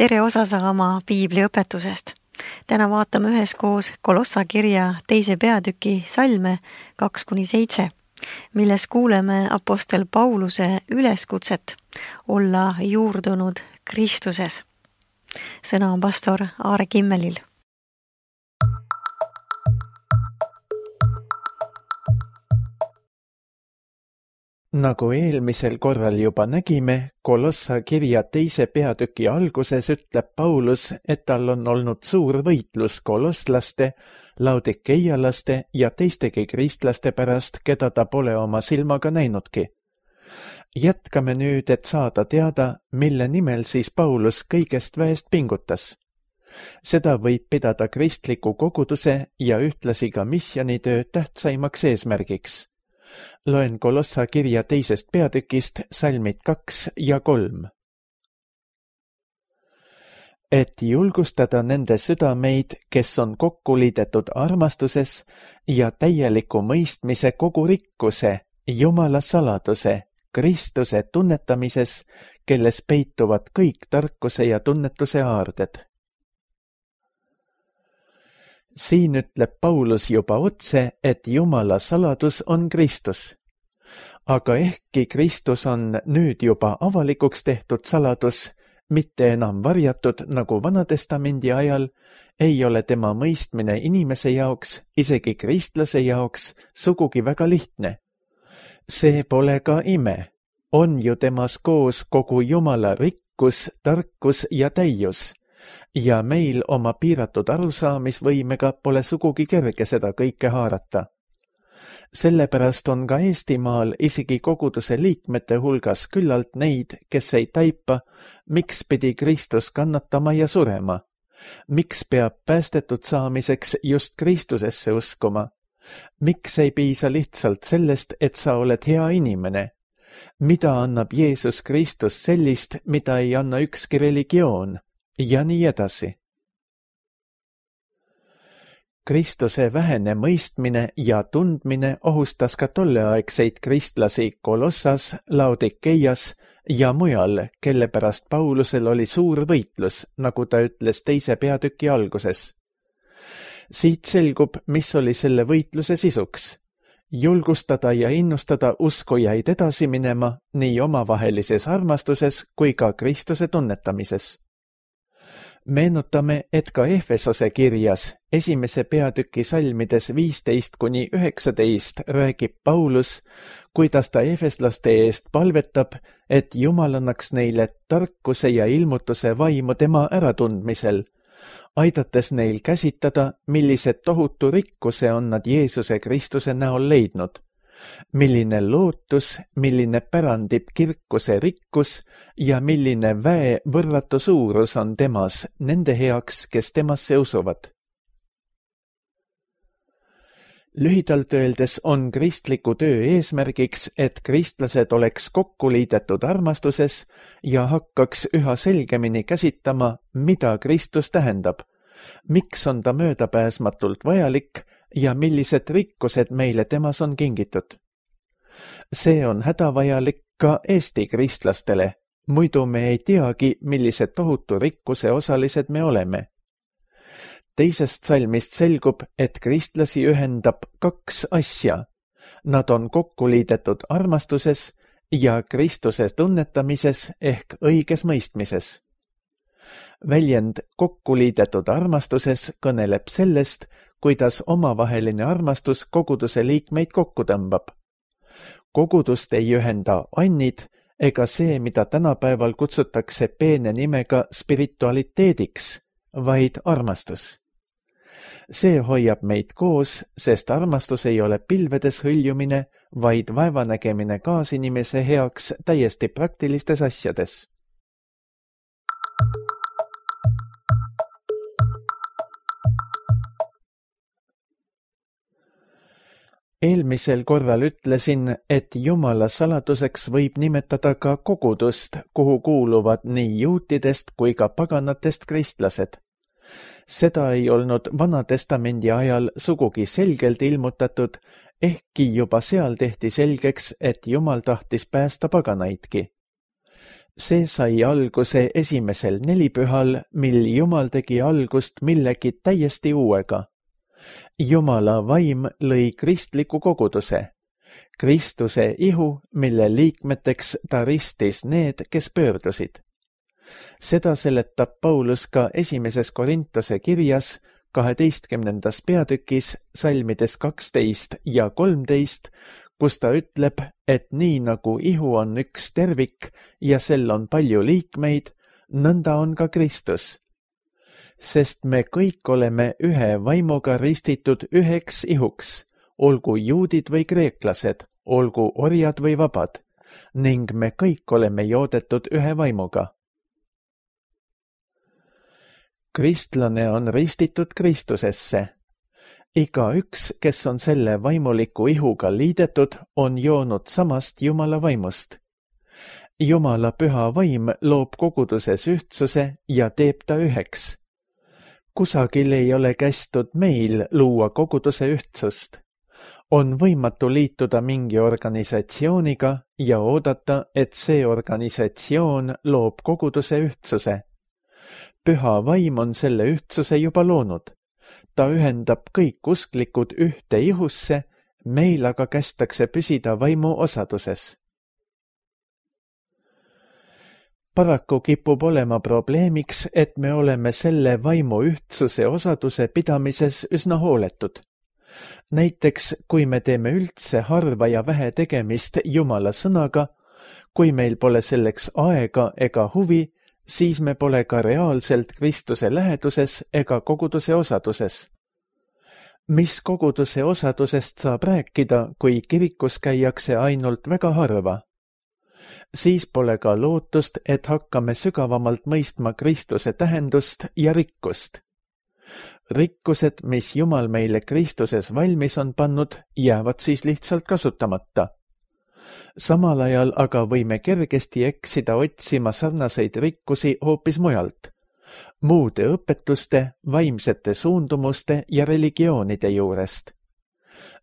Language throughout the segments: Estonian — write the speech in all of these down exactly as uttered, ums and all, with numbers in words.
tere osa saama piibliõpetusest. Täna vaatame üheskoos Kolossa kirja teise peatüki salme kaks kuni seitse, milles kuuleme apostel Pauluse üleskutset olla juurdunud Kristuses. Sõna on pastor Aare Kimmelil. Nagu eelmisel korral juba nägime, Kolossa kirja teise peatüki alguses ütleb Paulus, et tal on olnud suur võitlus kolosslaste, laudikeialaste ja teistegi kristlaste pärast, keda ta pole oma silmaga näinudki. Jätkame nüüd, et saada teada, mille nimel siis Paulus kõigest väest pingutas. Seda võib pidada kristliku koguduse ja ühtlasi ka misjonitöö tähtsaimaks eesmärgiks. Loen Kolossa kirja teisest peatükist salmid kaks ja kolm. Et julgustada nende südameid, kes on kokku liidetud armastuses ja täieliku mõistmise kogu rikkuse, Jumala saladuse, Kristuse tunnetamises, kelles peituvad kõik tarkuse ja tunnetuse aarded. Siin ütleb Paulus juba otse, et Jumala saladus on Kristus. Aga ehkki Kristus on nüüd juba avalikuks tehtud saladus, mitte enam varjatud nagu Vanatestamendi ajal, ei ole tema mõistmine inimese jaoks, isegi kristlase jaoks, sugugi väga lihtne. See pole ka ime. On ju temas koos kogu Jumala rikkus, tarkus ja täius. Ja meil oma piiratud arusaamisvõimega pole sugugi kerge seda kõike haarata. Sellepärast on ka Eestimaal isegi koguduse liikmete hulgas küllalt neid, kes ei taipa, miks pidi Kristus kannatama ja surema. Miks peab päästetud saamiseks just Kristusesse uskuma? Miks ei piisa lihtsalt sellest, et sa oled hea inimene? Mida annab Jeesus Kristus sellist, mida ei anna ükski religioon? Ja nii edasi. Kristuse vähene mõistmine ja tundmine ohustas ka tolleaegseid kristlasi Kolossas, Laudikeias ja mujal, kelle pärast Paulusel oli suur võitlus, nagu ta ütles teise peatüki alguses. Siit selgub, mis oli selle võitluse sisuks. Julgustada ja innustada uskujaid edasi minema nii omavahelises armastuses kui ka Kristuse tunnetamises. Meenutame, et ka Efesose kirjas esimese peatüki salmides viisteist kuni üheksateist räägib Paulus, kuidas ta efeslaste eest palvetab, et Jumal annaks neile tarkuse ja ilmutuse vaimu tema äratundmisel, aidates neil käsitada, millised tohutu rikkuse on nad Jeesuse Kristuse näol leidnud. Milline lootus, milline pärandib kirkuse rikkus ja milline väe võrratu suurus on temas nende heaks, kes temasse usuvad. Lühidalt öeldes on kristliku töö eesmärgiks, et kristlased oleks kokku liidetud armastuses ja hakkaks üha selgemini käsitama, mida Kristus tähendab, miks on ta möödapääsmatult vajalik ja millised rikkused meile temas on kingitud. See on hädavajalik ka Eesti kristlastele, muidu me ei teagi, millised tohutu rikkuse osalised me oleme. Teisest salmist selgub, et kristlasi ühendab kaks asja. Nad on kokku liidetud armastuses ja Kristuse tunnetamises ehk õiges mõistmises. Väljend kokku liidetud armastuses kõneleb sellest, kuidas omavaheline armastus koguduse liikmeid kokku tõmbab. Kogudust ei ühenda annid ega see, mida tänapäeval kutsutakse peene nimega spiritualiteediks, vaid armastus. See hoiab meid koos, sest armastus ei ole pilvedes hõljumine, vaid vaevanägemine kaasinimese heaks täiesti praktilistes asjades. Eelmisel korral ütlesin, et Jumala saladuseks võib nimetada ka kogudust, kuhu kuuluvad nii juutidest kui ka paganatest kristlased. Seda ei olnud Vanatestamendi ajal sugugi selgelt ilmutatud, ehkki juba seal tehti selgeks, et Jumal tahtis päästa paganaidki. See sai alguse esimesel nelipühal, mil Jumal tegi algust millegi täiesti uuega. Jumala vaim lõi kristliku koguduse, Kristuse ihu, mille liikmeteks ta ristis need, kes pöördusid. Seda seletab Paulus ka esimeses Korintuse kirjas kaheteistkümnendas peatükis salmides kaksteist ja kolmteist, kus ta ütleb, et nii nagu ihu on üks tervik ja sel on palju liikmeid, nõnda on ka Kristus. Sest me kõik oleme ühe vaimuga ristitud üheks ihuks, olgu juudid või kreeklased, olgu orjad või vabad, ning me kõik oleme joodetud ühe vaimuga. Kristlane on ristitud Kristusesse. Iga üks, kes on selle vaimuliku ihuga liidetud, on joonud samast Jumala vaimust. Jumala püha vaim loob koguduses ühtsuse ja teeb ta üheks. Kusagil ei ole kästud meil luua koguduse ühtsust. On võimatu liituda mingi organisatsiooniga ja oodata, et see organisatsioon loob koguduse ühtsuse. Püha vaim on selle ühtsuse juba loonud. Ta ühendab kõik usklikud ühte ihusse, meil aga kästakse püsida vaimu osaduses. Paraku kipub olema probleemiks, et me oleme selle vaimu ühtsuse osaduse pidamises üsna hooletud. Näiteks, kui me teeme üldse harva ja vähe tegemist Jumala sõnaga, kui meil pole selleks aega ega huvi, siis me pole ka reaalselt Kristuse läheduses ega koguduse osaduses. Mis koguduse osadusest saab rääkida, kui kirikus käiakse ainult väga harva? Siis pole ka lootust, et hakkame sügavamalt mõistma Kristuse tähendust ja rikkust. Rikkused, mis Jumal meile Kristuses valmis on pannud, jäävad siis lihtsalt kasutamata. Samal ajal aga võime kergesti eksida otsima sarnaseid rikkusi hoopis mujalt, muude õpetuste, vaimsete suundumuste ja religioonide juurest.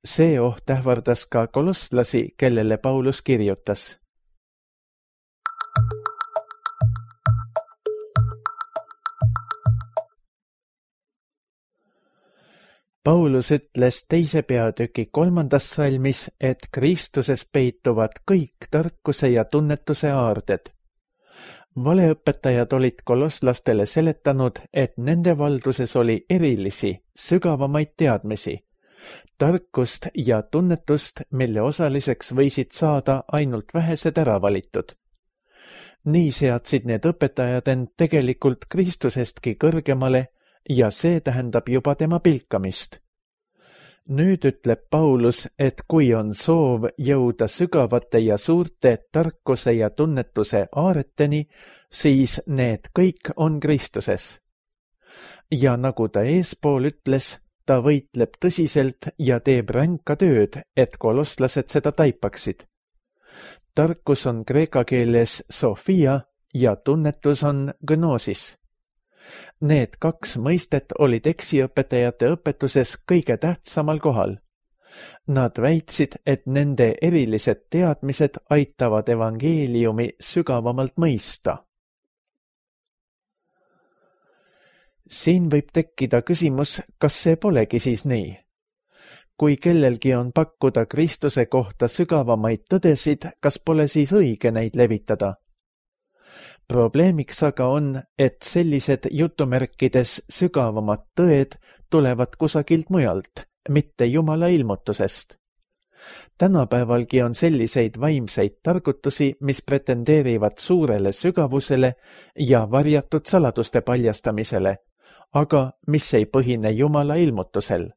See oht ähvardas ka kolosslasi, kellele Paulus kirjutas. Paulus ütles teise peatüki kolmandas salmis, et Kristuses peituvad kõik tarkuse ja tunnetuse aarded. Valeõpetajad olid kolosslastele seletanud, et nende valduses oli erilisi, sügavamaid teadmisi, tarkust ja tunnetust, mille osaliseks võisid saada ainult vähesed äravalitud. Nii seadsid need õpetajad end tegelikult Kristusestki kõrgemale, ja see tähendab juba tema pilkamist. Nüüd ütleb Paulus, et kui on soov jõuda sügavate ja suurte tarkuse ja tunnetuse aareteni, siis need kõik on Kristuses. Ja nagu ta eespool ütles, ta võitleb tõsiselt ja teeb ränka tööd, et koloslased seda taipaksid. Tarkus on kreeka keeles Sofia ja tunnetus on gnosis. Need kaks mõistet olid eksiõpetajate õpetuses kõige tähtsamal kohal. Nad väitsid, et nende erilised teadmised aitavad evangeeliumi sügavamalt mõista. Siin võib tekkida küsimus, kas see polegi siis nii? Kui kellelgi on pakkuda Kristuse kohta sügavamaid tõdesid, kas pole siis õige neid levitada? Probleemiks aga on, et sellised jutumärkides sügavamad tõed tulevad kusagilt mujalt, mitte Jumala ilmutusest. Tänapäevalgi on selliseid vaimseid targutusi, mis pretendeerivad suurele sügavusele ja varjatud saladuste paljastamisele, aga mis ei põhine Jumala ilmutusel.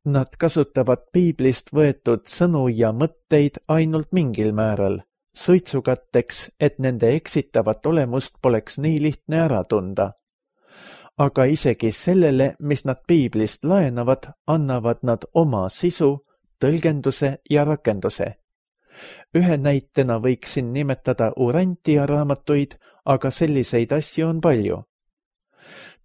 Nad kasutavad piiblist võetud sõnu ja mõtteid ainult mingil määral, suitsukatteks, et nende eksitavat olemust poleks nii lihtne ära tunda. Aga isegi sellele, mis nad piiblist laenavad, annavad nad oma sisu, tõlgenduse ja rakenduse. Ühe näitena võiksin nimetada Urantia raamatuid, aga selliseid asju on palju.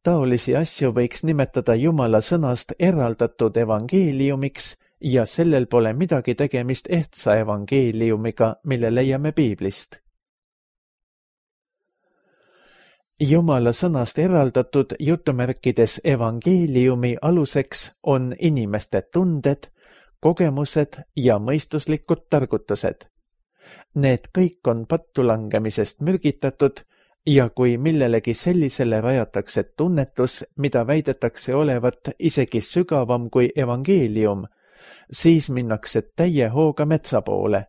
Taolisi asju võiks nimetada Jumala sõnast eraldatud evangeeliumiks, ja sellel pole midagi tegemist ehtsa evangeeliumiga, mille leiame piiblist. Jumala sõnast eraldatud jutumärkides evangeeliumi aluseks on inimeste tunded, kogemused ja mõistuslikud targutused. Need kõik on pattu langemisest mürgitatud ja kui millelegi sellisele rajatakse tunnetus, mida väidetakse olevat isegi sügavam kui evangeelium, siis minnakse täie hooga metsa poole.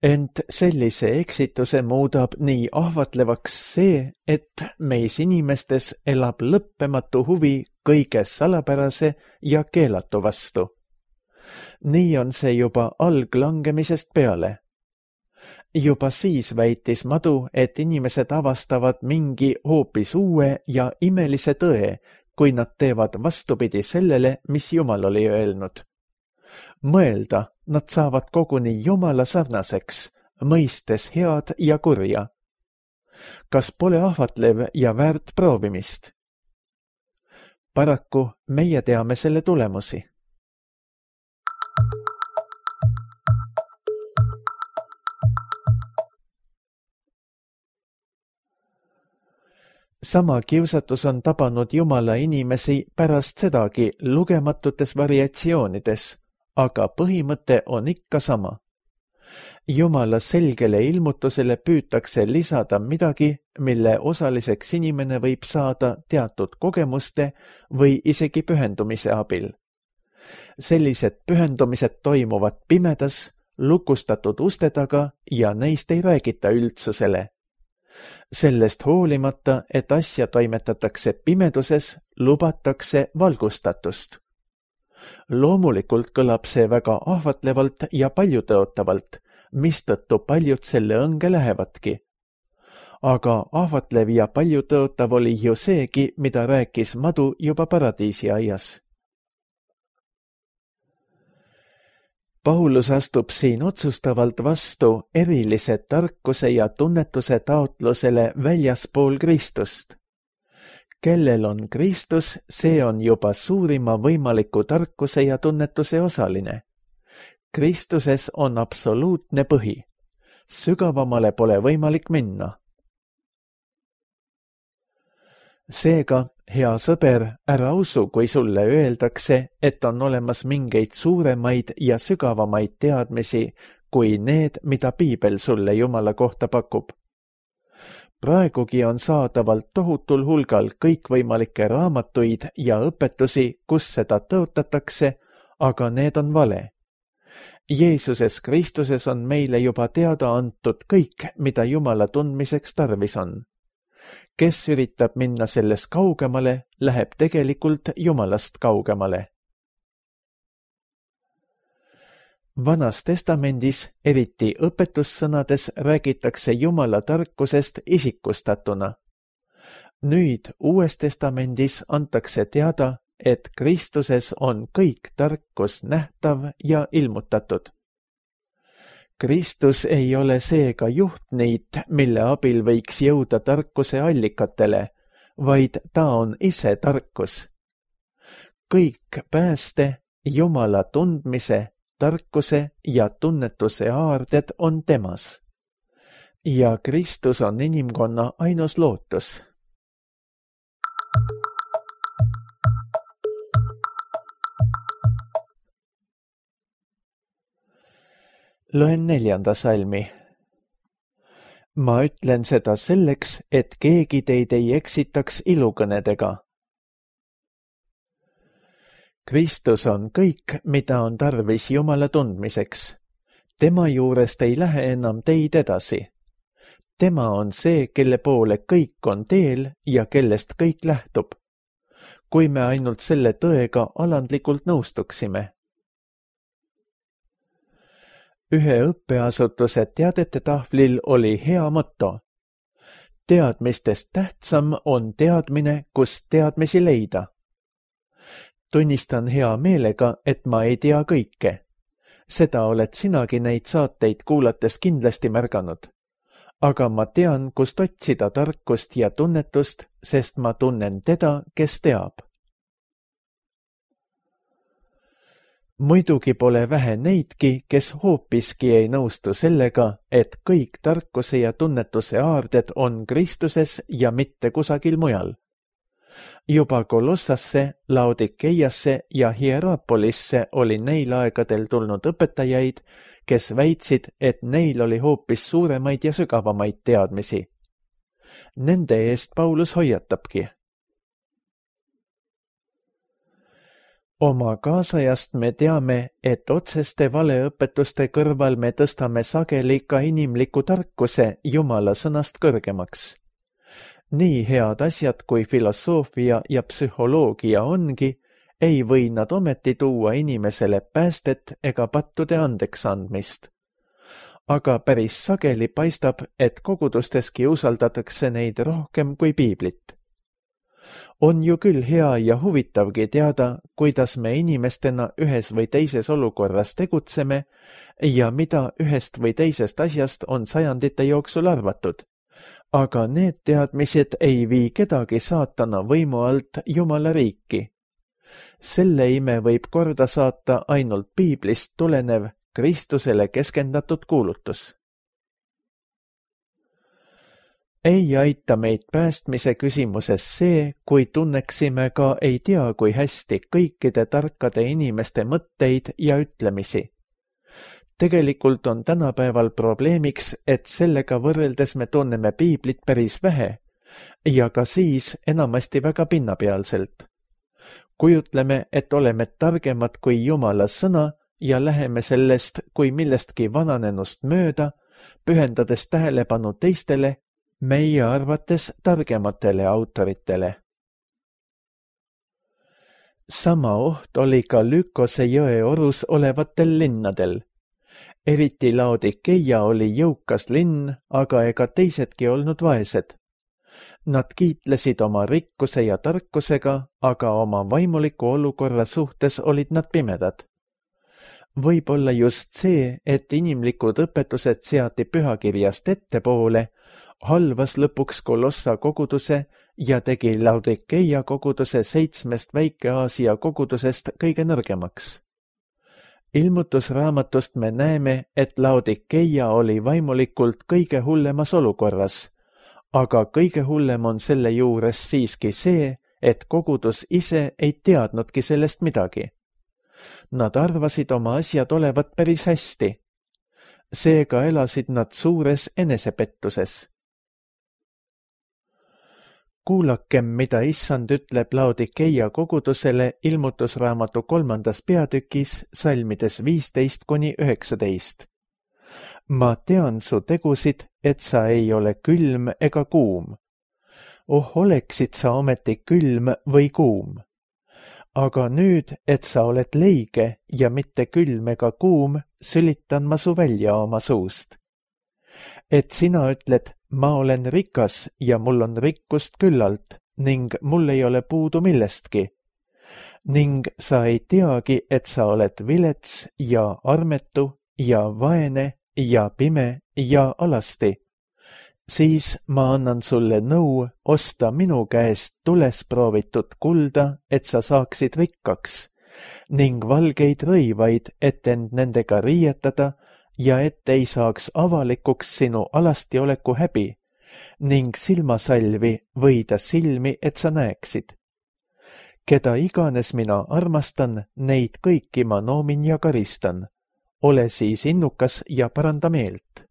Ent sellise eksituse muudab nii ahvatlevaks see, et meis inimestes elab lõppematu huvi kõige salapärase ja keelatu vastu. Nii on see juba alglangemisest peale. Juba siis väitis madu, et inimesed avastavad mingi hoopis uue ja imelise tõe, kui nad teevad vastupidi sellele, mis Jumal oli öelnud. Mõelda, nad saavad koguni Jumala sarnaseks, mõistes head ja kurja. Kas pole ahvatlev ja väärt proovimist? Paraku meie teame selle tulemusi. Sama kiusatus on tabanud Jumala inimesi pärast sedagi lugematutes variatsioonides, aga põhimõte on ikka sama. Jumala selgele ilmutusele püütakse lisada midagi, mille osaliseks inimene võib saada teatud kogemuste või isegi pühendumise abil. Sellised pühendumised toimuvad pimedas, lukustatud uste taga ja neist ei räägita üldsusele. Sellest hoolimata, et asja toimetatakse pimeduses, lubatakse valgustatust. Loomulikult kõlab see väga ahvatlevalt ja paljutõotavalt, mistõttu paljud selle õnge lähevadki. Aga ahvatlev ja paljutõotav oli ju seegi, mida rääkis madu juba paradiisi aias. Paulus astub siin otsustavalt vastu erilise tarkuse ja tunnetuse taotlusele väljaspool Kristust. Kellel on Kristus, see on juba suurima võimaliku tarkuse ja tunnetuse osaline. Kristuses on absoluutne põhi. Sügavamale pole võimalik minna. Seega, hea sõber, ära usu, kui sulle öeldakse, et on olemas mingeid suuremaid ja sügavamaid teadmisi kui need, mida Piibel sulle Jumala kohta pakub. Praegugi on saadavalt tohutul hulgal kõikvõimalikke raamatuid ja õpetusi, kus seda tõotatakse, aga need on vale. Jeesuses Kristuses on meile juba teada antud kõik, mida Jumala tundmiseks tarvis on. Kes üritab minna selles kaugemale, läheb tegelikult Jumalast kaugemale. Vanas testamendis, eriti õpetussõnades, räägitakse Jumala tarkusest isikustatuna. Nüüd Uues testamendis antakse teada, et Kristuses on kõik tarkus nähtav ja ilmutatud. Kristus ei ole seega juhtniit, mille abil võiks jõuda tarkuse allikatele, vaid ta on ise tarkus. Kõik pääste, Jumala tundmise, tarkuse ja tunnetuse aarded on temas. Ja Kristus on inimkonna ainus lootus. Loen neljanda salmi. Ma ütlen seda selleks, et keegi teid ei eksitaks ilukõnedega. Kristus on kõik, mida on tarvis Jumala tundmiseks. Tema juurest ei lähe enam teid edasi. Tema on see, kelle poole kõik on teel ja kellest kõik lähtub. Kui me ainult selle tõega alandlikult nõustuksime. Ühe õppeasutuse teadete tahvlil oli hea motto. Teadmistest tähtsam on teadmine, kust teadmisi leida. Tunnistan hea meelega, et ma ei tea kõike. Seda oled sinagi neid saateid kuulates kindlasti märganud. Aga ma tean, kust otsida tarkust ja tunnetust, sest ma tunnen teda, kes teab. Muidugi pole vähe neidki, kes hoopiski ei nõustu sellega, et kõik tarkuse ja tunnetuse aarded on Kristuses ja mitte kusagil mujal. Juba Kolossasse, Laodikeiasse ja Hierapolisse oli neil aegadel tulnud õpetajaid, kes väitsid, et neil oli hoopis suuremaid ja sügavamaid teadmisi. Nende eest Paulus hoiatabki. Oma kaasajast me teame, et otseste valeõpetuste kõrval me tõstame sageli ka inimliku tarkuse Jumala sõnast kõrgemaks. Nii head asjad kui filosoofia ja psühholoogia ongi, ei või nad ometi tuua inimesele päästet ega pattude andeks andmist. Aga päris sageli paistab, et kogudusteski usaldatakse neid rohkem kui piiblit. On ju küll hea ja huvitavgi teada, kuidas me inimestena ühes või teises olukorras tegutseme ja mida ühest või teisest asjast on sajandite jooksul arvatud. Aga need teadmised ei vii kedagi saatana võimu alt Jumala riiki. Selle ime võib korda saata ainult piiblist tulenev Kristusele keskendatud kuulutus. Ei aita meid päästmise küsimuses see, kui tunneksime ka ei tea kui hästi kõikide tarkade inimeste mõtteid ja ütlemisi. Tegelikult on tänapäeval probleemiks, et sellega võrreldes me tunneme piiblit päris vähe ja ka siis enamasti väga pinnapealselt. Kujutleme, et oleme targemad kui Jumala sõna ja läheme sellest kui millestki vananenust mööda, pühendades tähelepanu teistele, meie arvates targematele autoritele. Sama oht oli ka Lykose jõe orus olevatel linnadel. Eriti Laodikeia oli jõukas linn, aga ega teisedki olnud vaesed. Nad kiitlesid oma rikkuse ja tarkusega, aga oma vaimuliku olukorra suhtes olid nad pimedad. Võib-olla just see, et inimlikud õpetused seati pühakirjast ettepoole, halvas lõpuks Kolossa koguduse ja tegi Laodikeia koguduse seitsmest Väike-Aasia kogudusest kõige nõrgemaks. Ilmutusraamatust me näeme, et Laodikeia oli vaimulikult kõige hullemas olukorras, aga kõige hullem on selle juures siiski see, et kogudus ise ei teadnudki sellest midagi. Nad arvasid oma asjad olevat päris hästi. Seega elasid nad suures enesepettuses. Kuulakem, mida issand ütleb Laodikeia kogudusele ilmutusraamatu kolmandas peatükis salmides viisteist kuni üheksateist. Ma tean su tegusid, et sa ei ole külm ega kuum. Oh, oleksid sa ometi külm või kuum. Aga nüüd, et sa oled leige ja mitte külm ega kuum, sülitan ma su välja oma suust. Et sina ütled, ma olen rikas ja mul on rikkust küllalt ning mul ei ole puudu millestki. Ning sa ei teagi, et sa oled vilets ja armetu ja vaene ja pime ja alasti. Siis ma annan sulle nõu osta minu käest tules proovitud kulda, et sa saaksid rikkaks, ning valgeid rõivaid, et end nendega riietada ja et ei saaks avalikuks sinu alastioleku häbi, ning silmasalvi võida silmi, et sa näeksid. Keda iganes mina armastan, neid kõiki ma noomin ja karistan. Ole siis innukas ja paranda meelt.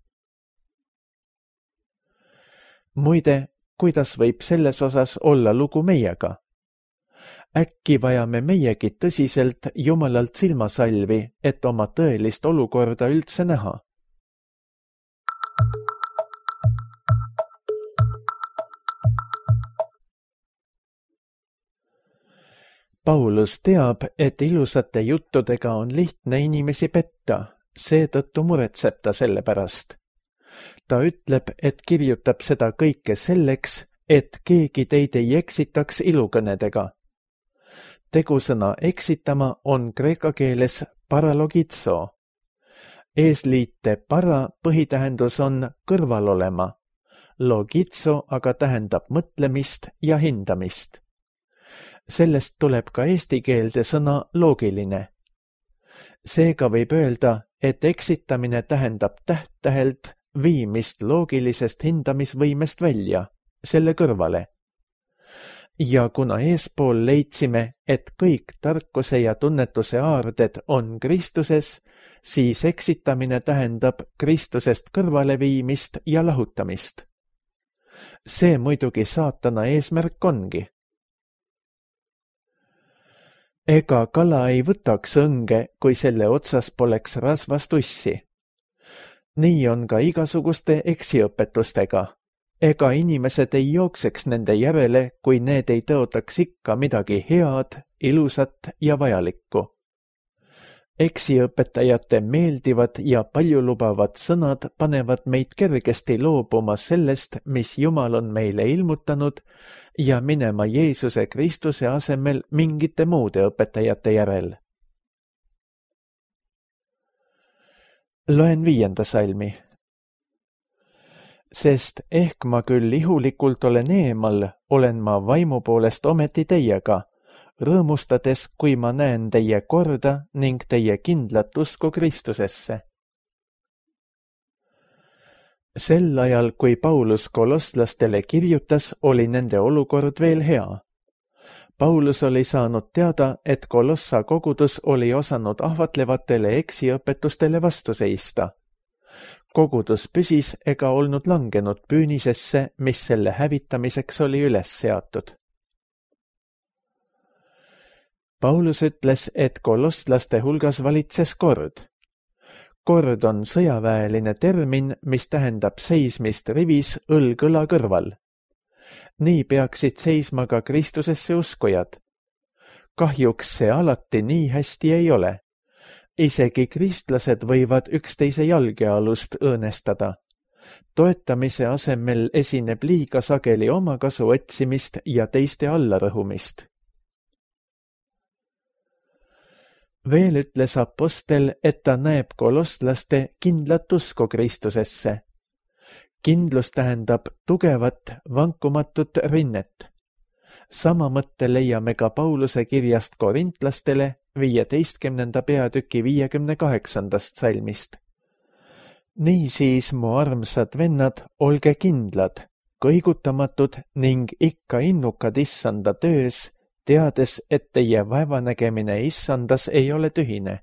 Muide, kuidas võib selles osas olla lugu meiega? Äkki vajame meiegi tõsiselt Jumalalt silmasalvi, et oma tõelist olukorda üldse näha? Paulus teab, et ilusate juttudega on lihtne inimesi petta, seetõttu muretseb ta selle pärast. Ta ütleb, et kirjutab seda kõike selleks, et keegi teid ei eksitaks ilukõnedega. Tegusõna eksitama on kreeka keeles paralogitso. Eesliite para põhitähendus on kõrval olema. Logitso aga tähendab mõtlemist ja hindamist. Sellest tuleb ka eesti keelde sõna loogiline. Seega võib öelda, et eksitamine tähendab täht-tähelt viimist loogilisest hindamisvõimest välja, selle kõrvale. Ja kuna eespool leidsime, et kõik tarkuse ja tunnetuse aarded on Kristuses, siis eksitamine tähendab Kristusest kõrvaleviimist ja lahutamist. See muidugi saatana eesmärk ongi. Ega kala ei võtaks õnge, kui selle otsas poleks rasvast ussi. Nii on ka igasuguste eksiõpetustega. Ega inimesed ei jookseks nende järele, kui need ei tõotaks ikka midagi head, ilusat ja vajalikku. Eksiõpetajate meeldivad ja paljulubavad sõnad panevad meid kergesti loobuma sellest, mis Jumal on meile ilmutanud, ja minema Jeesuse Kristuse asemel mingite muude õpetajate järel. Loen viienda salmi. Sest ehk ma küll ihulikult olen eemal, olen ma vaimu poolest ometi teiega, rõõmustades, kui ma näen teie korda ning teie kindlat usku Kristusesse. Sel ajal, kui Paulus kolosslastele kirjutas, oli nende olukord veel hea. Paulus oli saanud teada, et Kolossa kogudus oli osanud ahvatlevatele eksiõpetustele vastu seista. Kogudus püsis ega olnud langenud püünisesse, mis selle hävitamiseks oli üles seatud. Paulus ütles, et kolosslaste hulgas valitses kord. Kord on sõjaväeline termin, mis tähendab seismist rivis õlg õla kõrval. Nii peaksid seisma ka Kristusesse uskujad. Kahjuks see alati nii hästi ei ole. Isegi kristlased võivad üksteise jalgealust õõnestada. Toetamise asemel esineb liiga sageli omakasu otsimist ja teiste allarõhumist. Veel ütles apostel, et ta näeb kolosslaste kindlat usku Kristusesse. Kindlus tähendab tugevat, vankumatut rinnet. Sama mõtte leiame ka Pauluse kirjast korintlastele viieteistkümnenda peatüki viiekümne kaheksandast salmist. Niisiis, mu armsad vennad, olge kindlad, kõigutamatud ning ikka innukad issanda töös, teades, et teie vaevanägemine issandas ei ole tühine.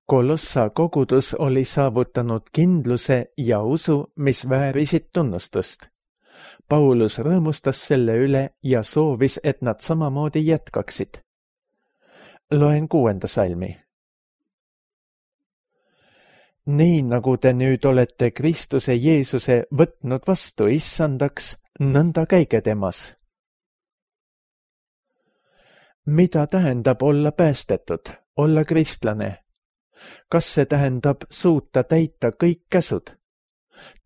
Kolossa kogudus oli saavutanud kindluse ja usu, mis väärisid tunnustust. Paulus rõõmustas selle üle ja soovis, et nad samamoodi jätkaksid. Loen kuuenda salmi. Nii nagu te nüüd olete Kristuse Jeesuse võtnud vastu issandaks, nõnda käige temas. Mida tähendab olla päästetud, olla kristlane? Kas see tähendab suuta täita kõik käsud?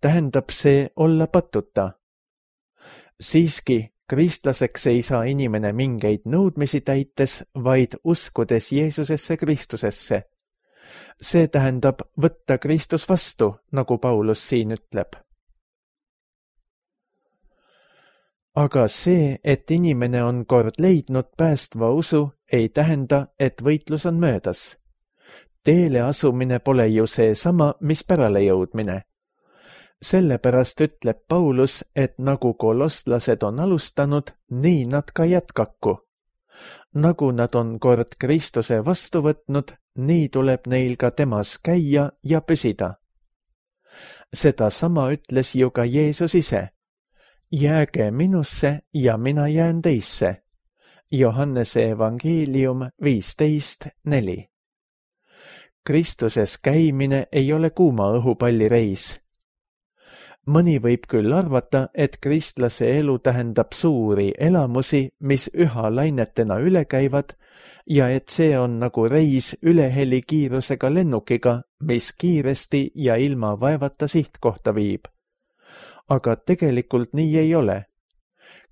Tähendab see olla patuta? Siiski, kristlaseks ei saa inimene mingeid nõudmisi täites, vaid uskudes Jeesusesse Kristusesse. See tähendab võtta Kristus vastu, nagu Paulus siin ütleb. Aga see, et inimene on kord leidnud päästva usu, ei tähenda, et võitlus on möödas. Teele asumine pole ju seesama, mis pärale jõudmine. Sellepärast ütleb Paulus, et nagu koloslased on alustanud, nii nad ka jätkaku. Nagu nad on kord Kristuse vastu võtnud, nii tuleb neil ka temas käia ja püsida. Seda sama ütles ju ka Jeesus ise. Jääge minusse ja mina jään teisse. Johannese evangeelium viisteist neli. Kristuses käimine ei ole kuuma õhupallireis. Mõni võib küll arvata, et kristlase elu tähendab suuri elamusi, mis üha lainetena üle käivad, ja et see on nagu reis ülehelikiirusega lennukiga, mis kiiresti ja ilma vaevata sihtkohta viib. Aga tegelikult nii ei ole.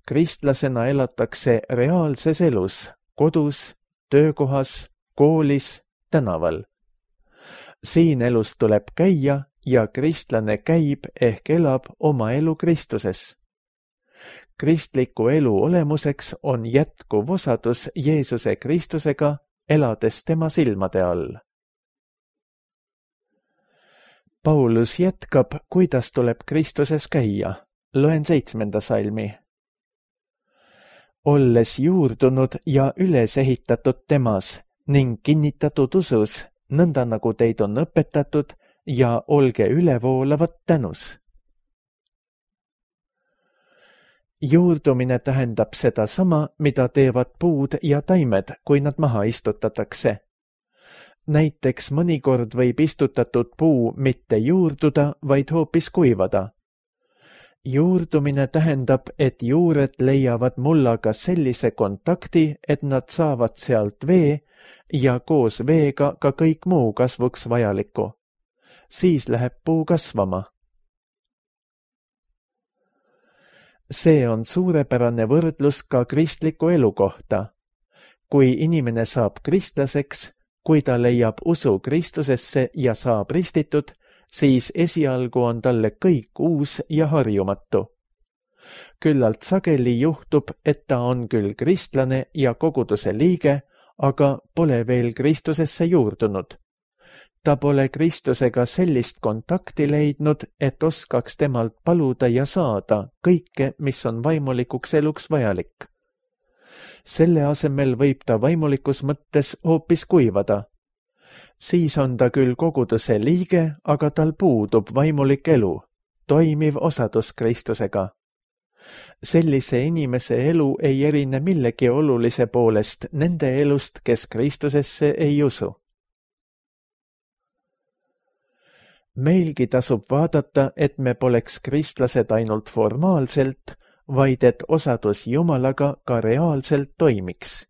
Kristlasena elatakse reaalses elus, kodus, töökohas, koolis, tänaval. Siin elus tuleb käia ja kristlane käib ehk elab oma elu Kristuses. Kristliku elu olemuseks on jätkuv osadus Jeesuse Kristusega, elades tema silmade all. Paulus jätkab, kuidas tuleb Kristuses käia. Loen seitsmenda salmi. Olles juurdunud ja üles ehitatud temas ning kinnitatud usus, nõnda nagu teid on õpetatud, ja olge ülevoolavad tänus. Juurdumine tähendab seda sama, mida teevad puud ja taimed, kui nad maha istutatakse. Näiteks mõnikord võib istutatud puu mitte juurduda, vaid hoopis kuivada. Juurdumine tähendab, et juured leiavad mullaga sellise kontakti, et nad saavad sealt vee ja koos veega ka kõik muu kasvuks vajalikku. Siis läheb puu kasvama. See on suurepärane võrdlus ka kristliku elu kohta. Kui inimene saab kristlaseks, kui ta leiab usu Kristusesse ja saab ristitud, siis esialgu on talle kõik uus ja harjumatu. Küllalt sageli juhtub, et ta on küll kristlane ja koguduse liige, aga pole veel Kristusesse juurdunud. Ta pole Kristusega sellist kontakti leidnud, et oskaks temalt paluda ja saada kõike, mis on vaimulikuks eluks vajalik. Selle asemel võib ta vaimulikus mõttes hoopis kuivada. Siis on ta küll koguduse liige, aga tal puudub vaimulik elu, toimiv osadus Kristusega. Sellise inimese elu ei erine millegi olulise poolest nende elust, kes Kristusesse ei usu. Meilgi tasub vaadata, et me poleks kristlased ainult formaalselt, vaid et osadus Jumalaga ka reaalselt toimiks.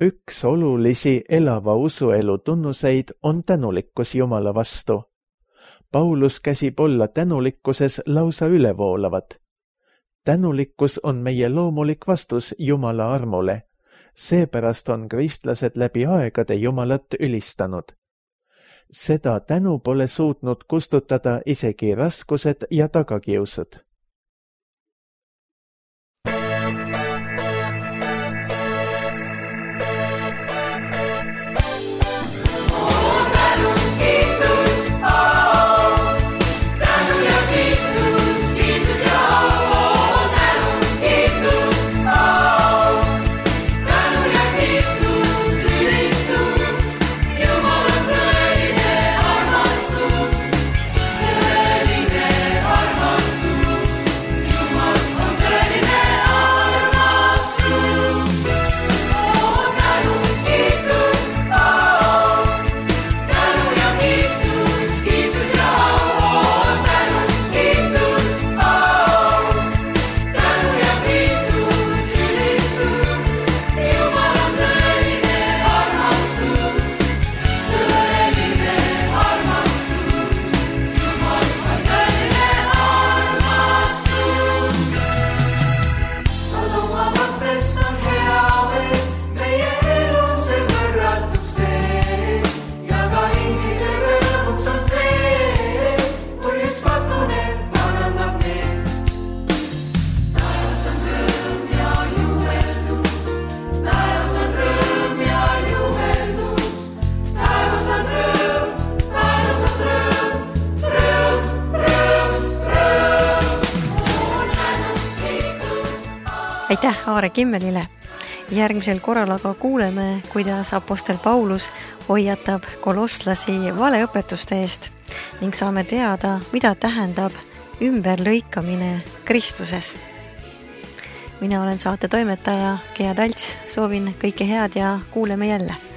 Üks olulisi elava usuelu tunnuseid on tänulikkus Jumala vastu. Paulus käsib olla tänulikkuses lausa ülevoolavad. Tänulikkus on meie loomulik vastus Jumala armule. Seepärast on kristlased läbi aegade Jumalat ülistanud. Seda tänu pole suutnud kustutada isegi raskused ja tagakiusud. Aitäh Aare Kimmelile. Järgmisel korral aga kuuleme, kuidas apostel Paulus hoiatab kolosslasi valeõpetuste eest ning saame teada, mida tähendab ümberlõikamine Kristuses. Mina olen saate toimetaja Gea Talts, soovin kõike head ja kuuleme jälle.